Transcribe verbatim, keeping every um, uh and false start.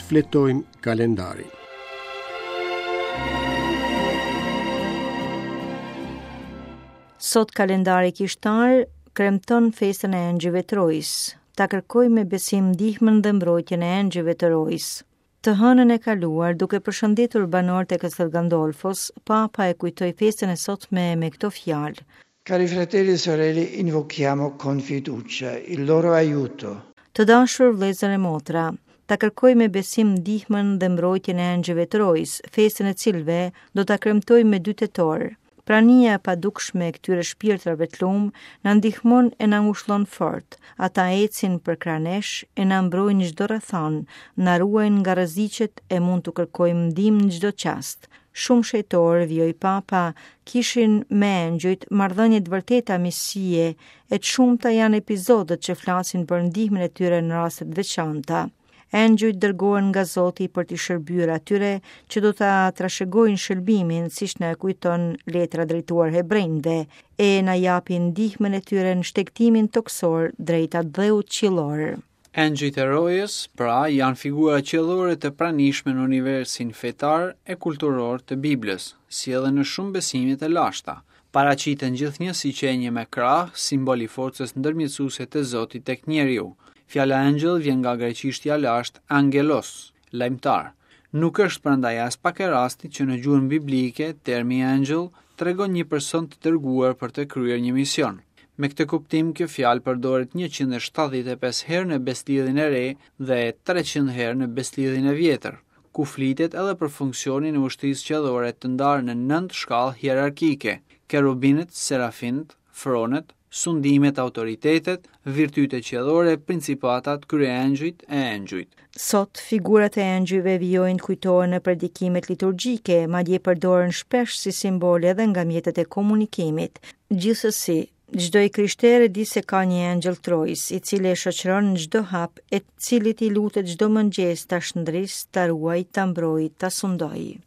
Shfletojmë kalendarin. Sot kalendari kishtar kremton festën e Engjëjve të Rojës. Ta kërkojmë me besim ndihmën dhe mbrojtjen e Engjëjve të Rojës. Të hënën e kaluar, duke përshëndetur banorët e Castel Gandolfos, Papa e kujtoi festën e sotme me këto fjalë. Cari fratelli e sorelle, invochiamo con fiducia il loro aiuto. Të dashur vëllezër e motra, ta kërkojmë me besim ndihmën dhe mbrojtjen e Engjëjve të Rojës, festën e cilëve do ta kremtojmë me dy tetor. Prania e padukshme e këtyre shpirtrave të lumë na ndihmon e na ngushllon fort. Ata ecin përkrah nesh e na mbrojnë çdo rrethanë, na ruajnë nga rreziqet e mund t'u kërkojmë ndihmë në çdo çast. Shumë shenjtorë, vijoi Papa, kishin me engjëjt marrëdhënie të vërteta miqësie e të shumta janë epizodet që flasin për ndihmën e tyre në raste të veçanta. Engjëjt dërgohen nga Zoti për t'i shërbyer atyre që do ta trashëgojnë shëlbimin, siç na e kujton letra drejtuar hebrejve, e na japin ndihmën e tyre në shtegtimin tokësor drejt atdheut qiellor. Engjëjt e rojës, pra, janë figura qiellore të pranishme në universin fetar e kulturor të Biblës, si edhe në shumë besime të lashta. Paraqiten gjithnjë si qenie me krah, simbol i forcës ndërmjetësuese të Zotit tek njeriu. Fjala engjëll vjen nga greqishtja lashtë angelos, lajmëtar. Nuk është prandaj as pak e rastit që në gjuhën biblike termi engjëll tregon një person të dërguar për të kryer një mision. Me këtë kuptim, kjo fjalë përdoret njëqind e shtatëdhjetë e pesë herë në Besëlidhjen e Re dhe treqind herë në Besëlidhjen e Vjetër, ku flitet edhe për funksionin e ushtrisë qiellore të ndarë në nëntë shkallë hierarkike: kerubinët, serafinët, fronet, sundimet, autoritetet, virtytet qiellore, principatat, kryeëngjujt e engjujt. Sot, figurat e engjujve vijojnë të kujtohen në predikimet liturgjike, madje përdoren shpesh si simbole edhe nga mjetet e komunikimit. Gjithsesi, çdo i krishterë di se ka një engjëll trojës, i cili e shoqëron në çdo hap, e cilit i lutet çdo mëngjes ta shndris, ta ruaj, ta mbroj, ta sundoj.